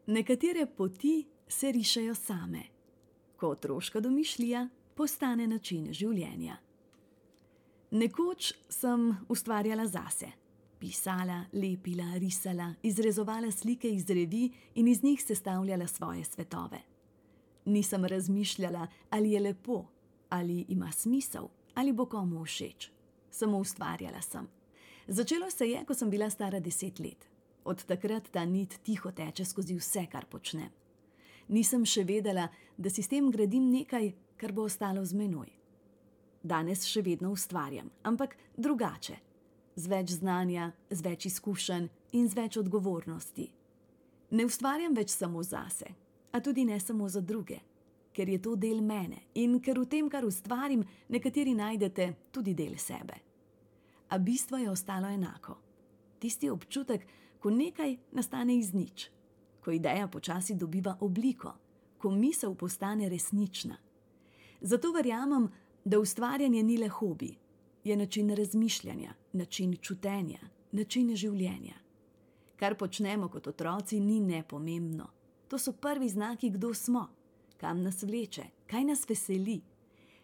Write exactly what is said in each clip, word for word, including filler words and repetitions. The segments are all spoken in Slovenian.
Nekatere poti se rišejo same, ko otroška domišljija postane način življenja. Nekoč sem ustvarjala zase. Pisala, lepila, risala, izrezovala slike iz revij in iz njih sestavljala svoje svetove. Nisem razmišljala, ali je lepo, ali ima smisel, ali bo komu všeč. Samo ustvarjala sem. Začelo se je, ko sem bila stara deset let. Od takrat ta nit tiho teče skozi vse, kar počnem. Nisem še vedela, da si s tem gradim nekaj, kar bo ostalo z menoj. Danes še vedno ustvarjam, ampak drugače. Z več znanja, z več izkušenj in z več odgovornosti. Ne ustvarjam več samo zase, a tudi ne samo za druge, ker je to del mene in ker v tem, kar ustvarim, nekateri najdete tudi del sebe. A bistvo je ostalo enako. Tisti občutek, ko nekaj nastane iz nič, ko ideja počasi dobiva obliko, ko misel postane resnična. Zato verjamem, da ustvarjanje ni le hobi, je način razmišljanja, način čutenja, način življenja. Kar počnemo kot otroci, ni nepomembno. To so prvi znaki, kdo smo, kam nas vleče, kaj nas veseli.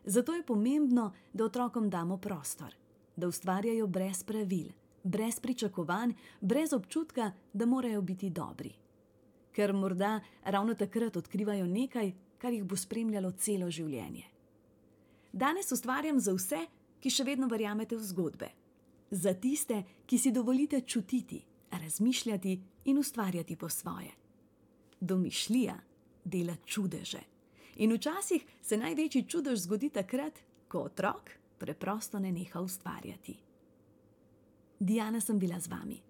Zato je pomembno, da otrokom damo prostor, da ustvarjajo brez pravil, brez pričakovanj, brez občutka, da morajo biti dobri. Ker morda ravno takrat odkrivajo nekaj, kar jih bo spremljalo celo življenje. Danes ustvarjam za vse, ki še vedno verjamete v zgodbe. Za tiste, ki si dovolite čutiti, razmišljati in ustvarjati po svoje. Domišljija dela čudeže. In včasih se največji čudež zgodi takrat, ko otrok preprosto ne neha ustvarjati. Diana sem bila z vami.